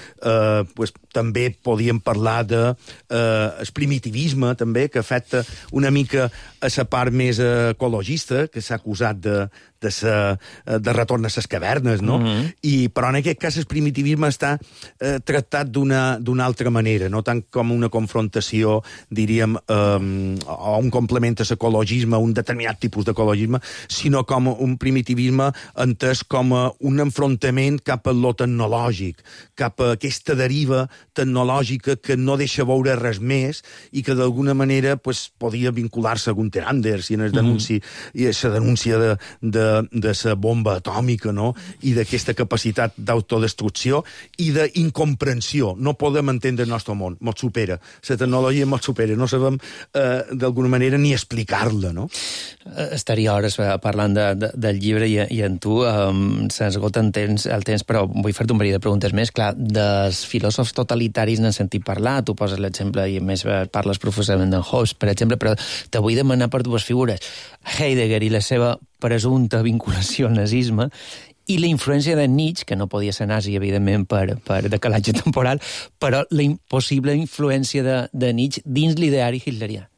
pues, també podíem parlar de el primitivisme, també, que afecta una mica a la part més ecologista, que s'ha acusat de retorn a les cavernes, no? Però en aquest cas el primitivisme està tractat d'una altra manera, no tant com una confrontació, diríem, o un complement a l'ecologisme, un determinat tipus d'ecologisme, sinó com un primitivisme entès com un enfrontament cap a lo tecnològic, cap a aquesta deriva tecnològica que no deixa veure res més i que d'alguna manera podia vincular-se a Gunther Anders i en la denúncia de la bomba atòmica, no? I d'aquesta capacitat d'autodestrucció i d'incomprensió. No podem entendre el nostre món, mos supera. La tecnologia mos supera, no sabem d'alguna manera ni explicar-la, no? Estaria hores parlant del llibre i en tu s'esgota el temps, però vull fer-te un parell de preguntes més. Clar, dels filòsofs totalitaris n'han sentit parlar, tu poses l'exemple i a més parles profusament d'en Hobbes, per exemple, però te vull demanar per dues figures. Heidegger i la seva presumpta vinculació al nazisme i la influència de Nietzsche, que no podia ser nazi, evidentment, per decalatge temporal, però la impossible influència de Nietzsche dins l'ideari hitlerià.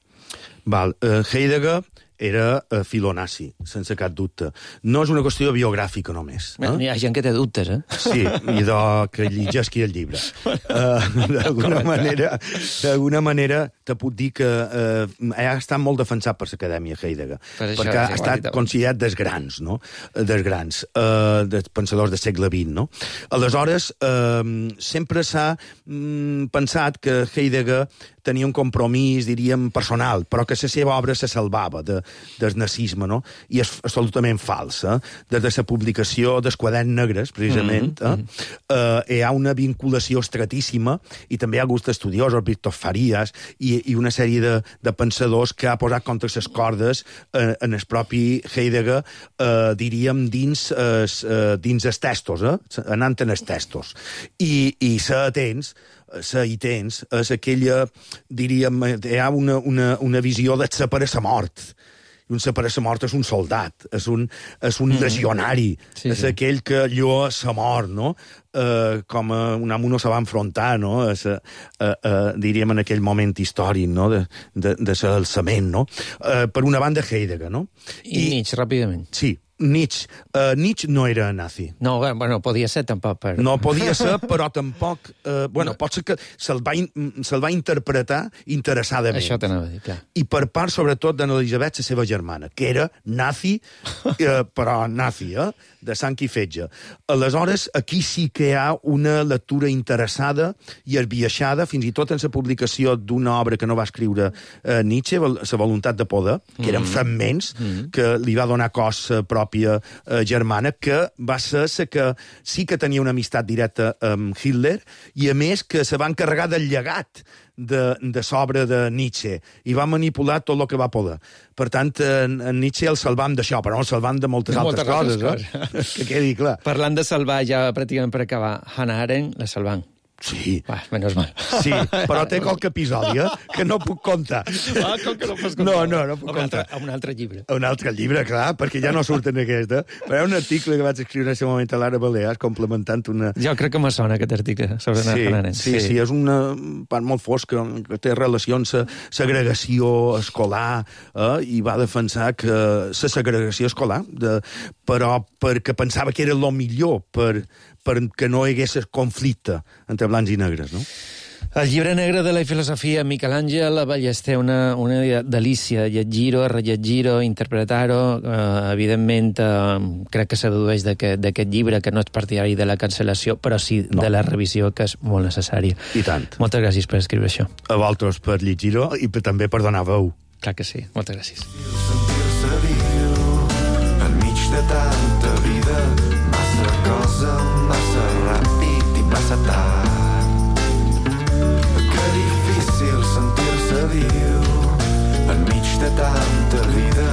Heidegger era filonazi, sense cap dubte. No és una qüestió biogràfica només. Hi ha gent que té dubtes, eh? Sí, i que llegisqui el llibre. D'alguna manera te puc dir que ha estat molt defensat per l'Acadèmia Heidegger, perquè ha estat considerat dels grans, no? Dels grans, dels pensadors del segle XX, no? Aleshores, sempre s'ha pensat que Heidegger tenia un compromís, diríem, personal, però que la seva obra se salvava del nazisme, no? I és absolutament fals. Des de la publicació dels Quaderns Negres, precisament, hi ha una vinculació estratíssima i també hi ha alguns estudiosos, Víctor Farías, i una sèrie de pensadors que ha posat contra les cordes en el propi Heidegger, diríem, dins els textos, anant en els textos. I és aquella, diríem, hi ha una visió de ser per a la mort. I un ser per a la mort és un soldat, és un legionari, és aquell que lloa la mort, no? Com un amo no se va enfrontar, no? Diríem en aquell moment històric, no? De l'alçament, no? Per una banda, Heidegger, no? I Nietzsche, ràpidament. Sí. Nietzsche no era nazi. No, bueno, podia ser tampoc. No podia ser, però tampoc... pot ser que se'l va interpretar interessadament. Això t'anava a dir, clar. I per part, sobretot, d'Elisabet, la seva germana, que era nazi, però nazi, de sang i fetge. Aleshores, aquí sí que hi ha una lectura interessada i esbiaixada, fins i tot en la publicació d'una obra que no va escriure Nietzsche, La voluntat de poder, que eren fragments que li va donar cos pròpia germana, que va ser la que sí que tenia una amistat directa amb Hitler i, a més, que se va encarregar del llegat de l'obra de Nietzsche i va manipular tot el que va poder. Per tant, en Nietzsche el salvam d'això, però no el salvam de moltes altres coses. Que quedi clar. Parlant de salvar, ja pràcticament per acabar, Hannah Arendt la salvam. Sí. Menos mal. Sí, però té qualque episodi, que no puc contar. Com que no pots contar? No puc contar. A un altre llibre. A un altre llibre, clar, perquè ja no surt en aquesta. Però hi ha un article que vaig escriure en aquest moment a l'Ara Balears, complementant una... Jo crec que me sona aquest article sobre Hannah Arendt. Sí, és una part molt fosca que té relació amb la segregació escolar i va defensar que la segregació escolar, però perquè pensava que era el millor perquè no hi hagués conflicte entre blancs i negres, no? El llibre negre de la filosofia, Miquel Àngel Ballester, una delícia, llegir-ho, rellegir-ho, interpretar-ho. Evidentment, crec que se dedueix d'aquest llibre, que no és partidari de la cancel·lació, però sí de la revisió, que és molt necessària. I tant. Moltes gràcies per escriure això. A vosaltres per llegir-ho i també per donar veu. Clar que sí. Moltes gràcies. Sentir-se viu enmig de tanta vida, massa cosa, massa ràpid i massa tard. Que difícil sentir-se viu enmig de tanta vida,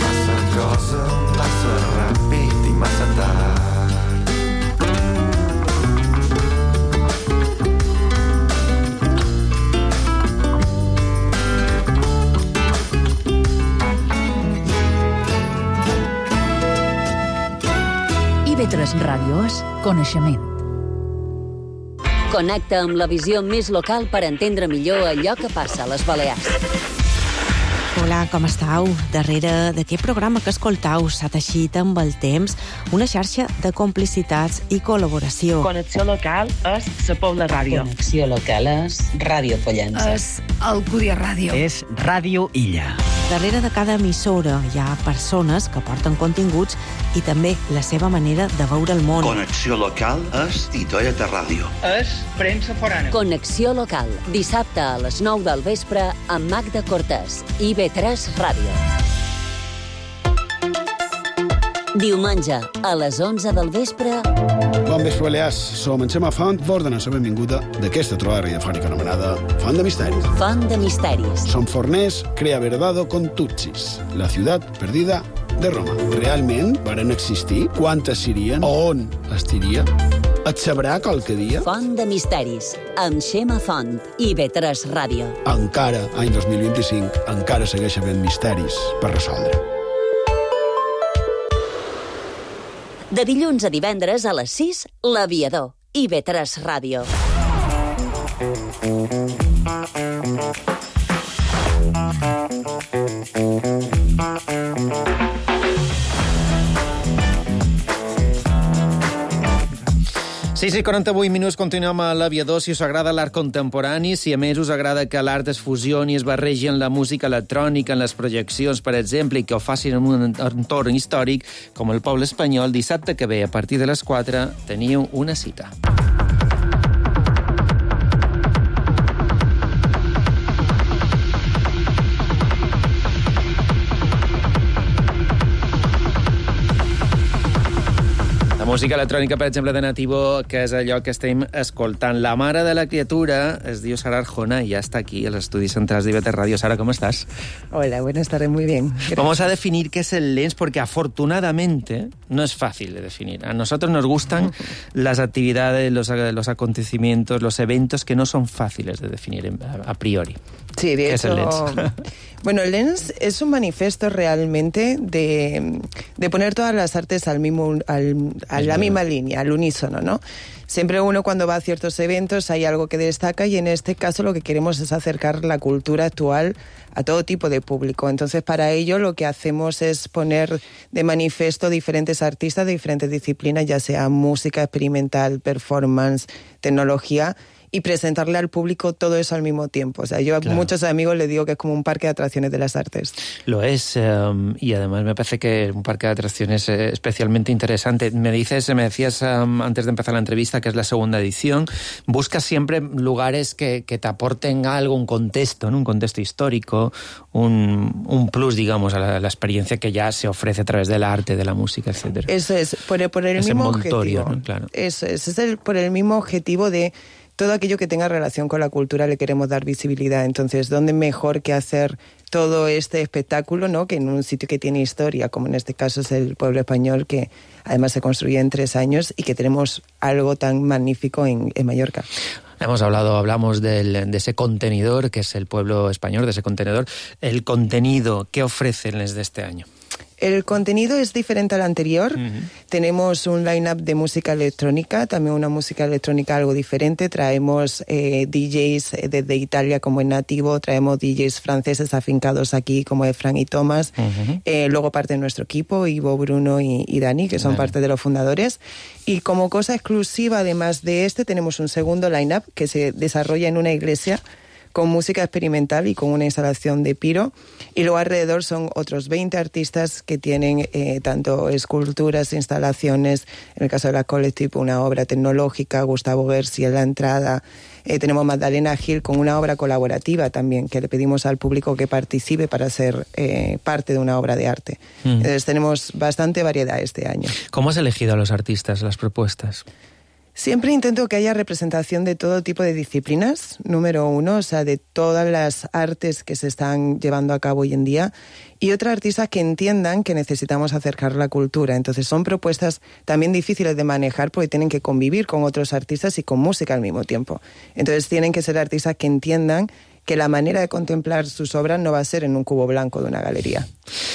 massa cosa, massa ràpid i massa tard. IB3 Ràdio és coneixement. Connecta amb la visió més local per entendre millor allò que passa a les Balears. Hola, com estàu? Darrere d'aquest programa que escoltau s'ha teixit amb el temps una xarxa de complicitats i col·laboració. Connexió local és la Pobla Ràdio. Connexió local és Ràdio Pollença. És Alcúdia Ràdio. És Ràdio Illa. Darrere de cada emissora hi ha persones que porten continguts i també la seva manera de veure el món. Connexió local és Titoia de Ràdio. És premsa forana. Connexió local, dissabte a les 9 del vespre amb Magda Cortés i IB3 Ràdio. Diumenge, a les 11 del vespre... Bon vespre, Balears. Som en Xema Font, vos donem la benvinguda d'aquesta trobada radiofònica anomenada Font de Misteris. Font de Misteris. Som forners, crea verdado con Tutsis, la ciutat perdida de Roma. Realment varen existir? Quantes serien? On estiria? Et sabrà qualque dia? Font de Misteris, amb Xema Font i IB3 Ràdio. Encara, any 2025, encara segueix havent misteris per resoldre. De dilluns a divendres a les 6, L'Aviador, IB3 Ràdio. Sí, 48 minuts, continuem a l'Aviador. Si us agrada l'art contemporani, si a més us agrada que l'art es fusioni, es barregi en la música electrònica, en les projeccions, per exemple, i que ho facin en un entorn històric com el poble espanyol, dissabte que ve, a partir de les 4, teniu una cita. Música electrònica, per exemple, de Nativo, que és allò que estem escoltant. La mare de la criatura es diu Sara Arjona i ja està aquí, a los estudios centrales de IB3 Radio. Sara, ¿cómo estás? Hola, buenas tardes, muy bien. Gracias. Vamos a definir qué es el Lens, porque afortunadamente no es fácil de definir. A nosotros nos gustan las actividades, los acontecimientos, los eventos que no son fáciles de definir a priori. Sí, de ¿Qué hecho... es el Lens? Bueno, el Lens es un manifiesto realmente de poner todas las artes a la misma línea, al unísono, ¿no? Siempre uno cuando va a ciertos eventos hay algo que destaca y en este caso lo que queremos es acercar la cultura actual a todo tipo de público. Entonces, para ello lo que hacemos es poner de manifiesto diferentes artistas de diferentes disciplinas, ya sea música experimental, performance, tecnología, y presentarle al público todo eso al mismo tiempo. O sea, yo a muchos amigos les digo que es como un parque de atracciones de las artes. Lo es, y además me parece que es un parque de atracciones especialmente interesante. Me decías antes de empezar la entrevista que es la segunda edición. Buscas siempre lugares que te aporten algo, un contexto, ¿no? Un contexto histórico, un plus, digamos, a la experiencia que ya se ofrece a través del arte, de la música, etc. Eso es, por el mismo objetivo. ¿No? Claro. Eso es por el mismo objetivo de todo aquello que tenga relación con la cultura le queremos dar visibilidad. Entonces, ¿dónde mejor que hacer todo este espectáculo, ¿no? Que en un sitio que tiene historia, como en este caso es el pueblo español, que además se construye en 3 años y que tenemos algo tan magnífico en Mallorca? Hablamos de ese contenedor, que es el pueblo español, de ese contenedor. El contenido, ¿qué ofrecen desde este año? El contenido es diferente al anterior. Tenemos un line-up de música electrónica, también una música electrónica algo diferente. Traemos DJs desde Italia como es Nativo, traemos DJs franceses afincados aquí como es Frank y Thomas. Luego parte de nuestro equipo, Ivo, Bruno y Dani, que son parte de los fundadores. Y como cosa exclusiva, además de este, tenemos un segundo line-up que se desarrolla en una iglesia con música experimental y con una instalación de piro. Y luego alrededor son otros 20 artistas que tienen tanto esculturas, instalaciones, en el caso de la Collective, una obra tecnológica, Gustavo Gersi en la entrada. Tenemos Magdalena Gil con una obra colaborativa también, que le pedimos al público que participe para ser parte de una obra de arte. Entonces tenemos bastante variedad este año. ¿Cómo has elegido a los artistas, las propuestas? Siempre intento que haya representación de todo tipo de disciplinas, número uno, o sea, de todas las artes que se están llevando a cabo hoy en día, y otros artistas que entiendan que necesitamos acercar la cultura. Entonces son propuestas también difíciles de manejar porque tienen que convivir con otros artistas y con música al mismo tiempo. Entonces tienen que ser artistas que entiendan que la manera de contemplar sus obras no va a ser en un cubo blanco de una galería.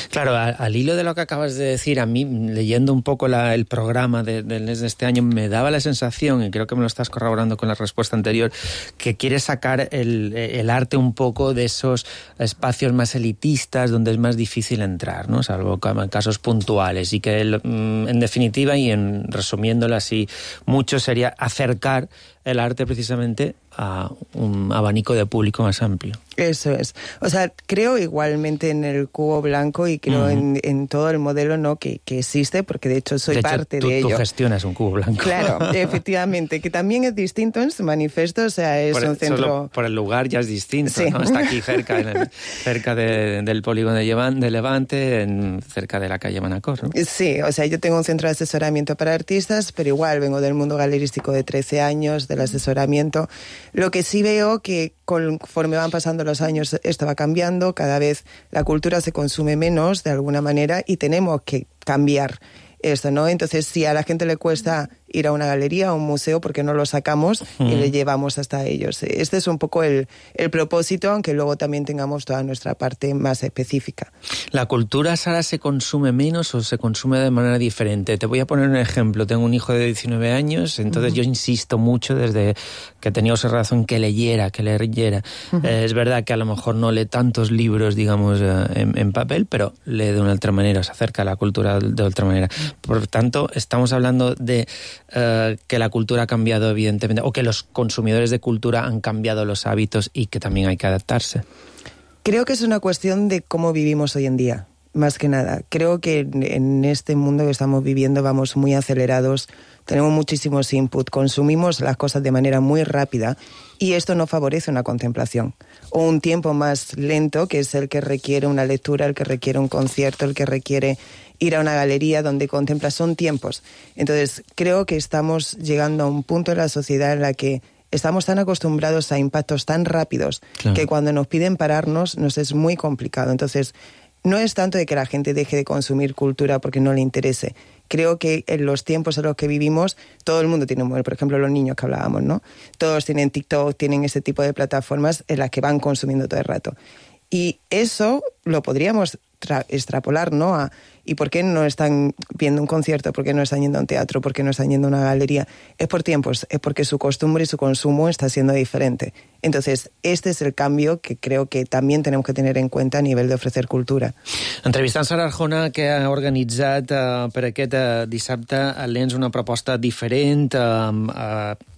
Claro, al hilo de lo que acabas de decir, a mí, leyendo un poco el programa de este año, me daba la sensación, y creo que me lo estás corroborando con la respuesta anterior, que quieres sacar el arte un poco de esos espacios más elitistas donde es más difícil entrar, ¿no? Salvo en casos puntuales, y que en definitiva, y resumiéndolo así mucho, sería acercar el arte precisamente a un abanico de público más amplio. Eso es. O sea, creo igualmente en el cubo blanco y creo en todo el modelo, ¿no?, que existe, porque de hecho soy parte de ello. Tú gestionas un cubo blanco. Claro, efectivamente, que también es distinto en su manifiesto, o sea, es un centro... Solo por el lugar ya es distinto, sí, ¿no? Está aquí cerca del polígono de Levante, cerca de la calle Manacor, ¿no? Sí, o sea, yo tengo un centro de asesoramiento para artistas, pero igual vengo del mundo galerístico de 13 años, del asesoramiento. Lo que sí veo que conforme van pasando los años esto va cambiando, cada vez la cultura se consume menos de alguna manera y tenemos que cambiar esto, ¿no? Entonces, si a la gente le cuesta ir a una galería, a un museo, porque no lo sacamos y le llevamos hasta ellos. Este es un poco el propósito, aunque luego también tengamos toda nuestra parte más específica. ¿La cultura, Sara, se consume menos o se consume de manera diferente? Te voy a poner un ejemplo. Tengo un hijo de 19 años, entonces yo insisto mucho desde que tenía esa razón que leyera. Es verdad que a lo mejor no lee tantos libros, digamos, en papel, pero lee de una otra manera, se acerca a la cultura de otra manera. Por tanto, estamos hablando de que la cultura ha cambiado, evidentemente, o que los consumidores de cultura han cambiado los hábitos y que también hay que adaptarse. Creo que es una cuestión de cómo vivimos hoy en día, más que nada. Creo que en este mundo que estamos viviendo vamos muy acelerados, tenemos muchísimos input, consumimos las cosas de manera muy rápida y esto no favorece una contemplación o un tiempo más lento, que es el que requiere una lectura, el que requiere un concierto, el que requiere ir a una galería donde contemplas. Son tiempos. Entonces, creo que estamos llegando a un punto en la sociedad en la que estamos tan acostumbrados a impactos tan rápidos, claro, que cuando nos piden pararnos nos es muy complicado. Entonces, no es tanto de que la gente deje de consumir cultura porque no le interese. Creo que en los tiempos en los que vivimos, todo el mundo tiene un móvil. Por ejemplo, los niños que hablábamos, ¿no? Todos tienen TikTok, tienen ese tipo de plataformas en las que van consumiendo todo el rato. Y eso lo podríamos extrapolar, ¿no? ¿Y por qué no están viendo un concierto? ¿Por qué no están yendo a un teatro? ¿Por qué no están yendo a una galería? Es por tiempos, es porque su costumbre y su consumo está siendo diferente. Entonces, este es el cambio que creo que también tenemos que tener en cuenta a nivel de ofrecer cultura. Entrevistant Sara Arjona, que ha organitzat per aquest dissabte a Lens una proposta diferent,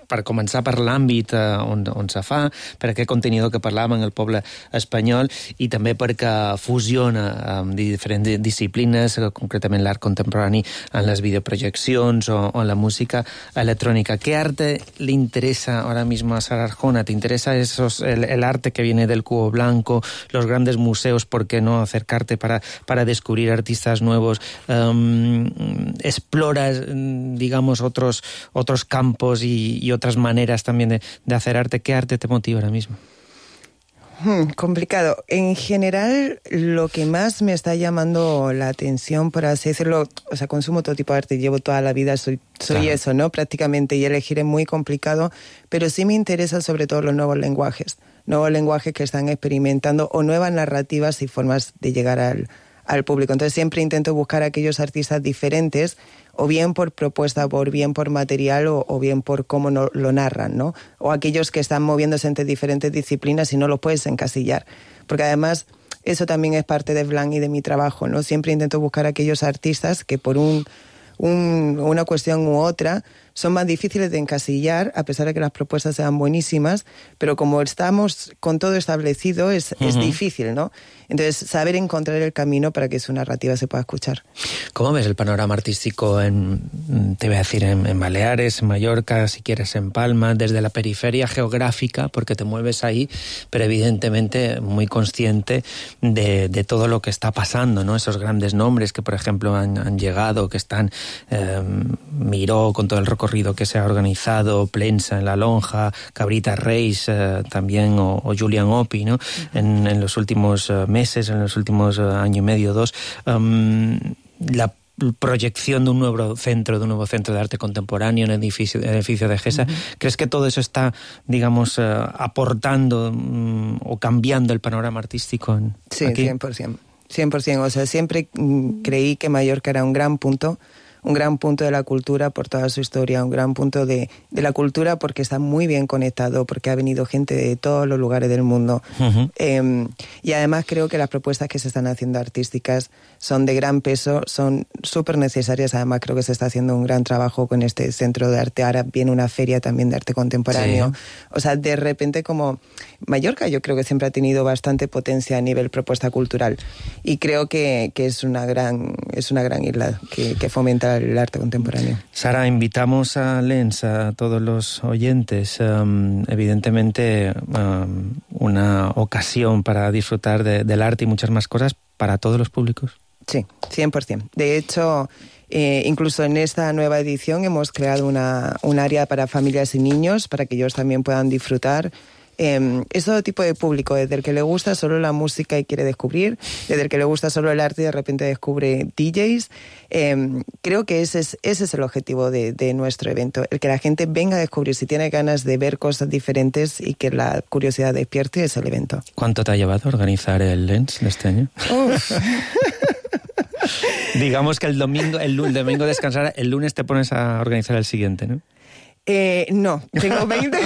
per començar per l'àmbit on se fa, per aquest contenidor que parlàvem en el poble espanyol, i també perquè fusiona amb diferents disciplines, concretament l'art contemporani en les videoprojeccions o en la música electrónica. ¿Qué arte le interesa ahora mismo a Sara Arjona? ¿Te interesa el arte que viene del cubo blanco, los grandes museos? ¿Por qué no acercarte para descubrir artistas nuevos? ¿Exploras, digamos, otros campos y otras maneras también de hacer arte? ¿Qué arte te motiva ahora mismo? Complicado. En general, lo que más me está llamando la atención, por así decirlo, o sea, consumo todo tipo de arte, llevo toda la vida, soy claro, eso, ¿no? Prácticamente, y elegir es muy complicado, pero sí me interesan sobre todo los nuevos lenguajes que están experimentando, o nuevas narrativas y formas de llegar al público. Entonces siempre intento buscar a aquellos artistas diferentes, o bien por propuesta, o bien por material, o bien por cómo lo narran, ¿no? O aquellos que están moviéndose entre diferentes disciplinas y no los puedes encasillar. Porque además eso también es parte de Blanc y de mi trabajo, ¿no? Siempre intento buscar a aquellos artistas que por una cuestión u otra son más difíciles de encasillar, a pesar de que las propuestas sean buenísimas, pero como estamos con todo establecido es difícil, ¿no? Entonces, saber encontrar el camino para que su narrativa se pueda escuchar. ¿Cómo ves el panorama artístico te voy a decir, en Baleares, en Mallorca, si quieres en Palma, desde la periferia geográfica, porque te mueves ahí, pero evidentemente muy consciente de todo lo que está pasando, ¿no? Esos grandes nombres que, por ejemplo, han llegado, que están Miró, con todo el recorrido que se ha organizado, Plensa en la Lonja, Cabrita Reis también, o Julian Opi, ¿no? En los últimos meses, en los últimos año y medio, 2, la proyección de un nuevo centro de arte contemporáneo en el edificio de GESA. ¿Crees que todo eso está, digamos, aportando o cambiando el panorama artístico Sí, aquí? 100%. 100%. O sea, siempre creí que Mallorca era un gran punto de la cultura por toda su historia, un gran punto de la cultura porque está muy bien conectado, porque ha venido gente de todos los lugares del mundo. Y además creo que las propuestas que se están haciendo artísticas son de gran peso, son súper necesarias. Además creo que se está haciendo un gran trabajo con este centro de arte. Ahora viene una feria también de arte contemporáneo. Sí. O sea, de repente como Mallorca yo creo que siempre ha tenido bastante potencia a nivel propuesta cultural. Y creo que es una gran isla que fomenta el arte contemporáneo. Sara, invitamos a Lens, a todos los oyentes, evidentemente una ocasión para disfrutar del arte y muchas más cosas para todos los públicos. Sí, 100%. De hecho, incluso en esta nueva edición hemos creado un área para familias y niños, para que ellos también puedan disfrutar. Es todo tipo de público, desde el que le gusta solo la música y quiere descubrir, desde el que le gusta solo el arte y de repente descubre DJs. Creo que ese es el objetivo de nuestro evento, el que la gente venga a descubrir, si tiene ganas de ver cosas diferentes y que la curiosidad despierte, es el evento. ¿Cuánto te ha llevado a organizar el Lens de este año? Digamos que el domingo descansar, el lunes te pones a organizar el siguiente, ¿no? No, tengo 20.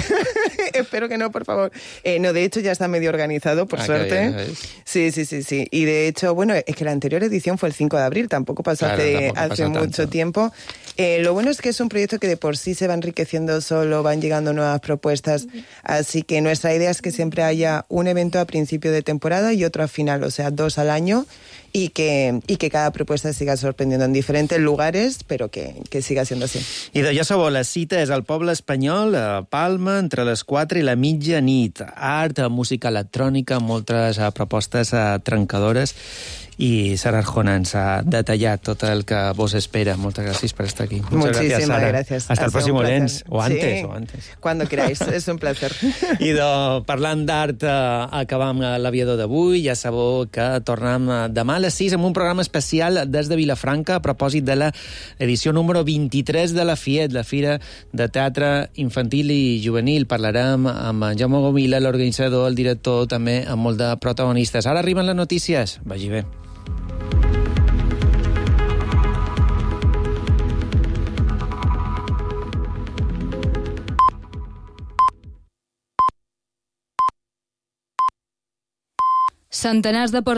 Espero que no, por favor. No, de hecho ya está medio organizado, por suerte. Bien, sí. Y de hecho, bueno, es que la anterior edición fue el 5 de abril, tampoco pasó hace mucho tiempo. Lo bueno es que es un proyecto que de por sí se va enriqueciendo solo, van llegando nuevas propuestas, así que nuestra idea es que siempre haya un evento a principio de temporada y otro a final, o sea, 2 al año, y que cada propuesta siga sorprendiendo en diferentes lugares, però que siga siendo así. I de ja sabeu, la cita és al poble espanyol, a Palma, entre les 4 i la mitjanit. Art, música electrònica, moltes propostes trencadores, i Sara Arjona ens ha detallat tot el que vos espera. Moltes gràcies per estar aquí. Muchísimas gracias. Hasta el próximo Lens, o antes. Cuando queráis, es un placer. I parlant d'art, acabam l'aviador d'avui. Ja sabeu que tornem demà a les 6 amb un programa especial des de Vilafranca a propòsit de l'edició número 23 de la FIET, la Fira de Teatre Infantil i Juvenil. Parlarem amb en Jaume Gomila, l'organitzador, el director, també amb molt de protagonistes. Ara arriben les notícies. Vagi bé. Centenars de persones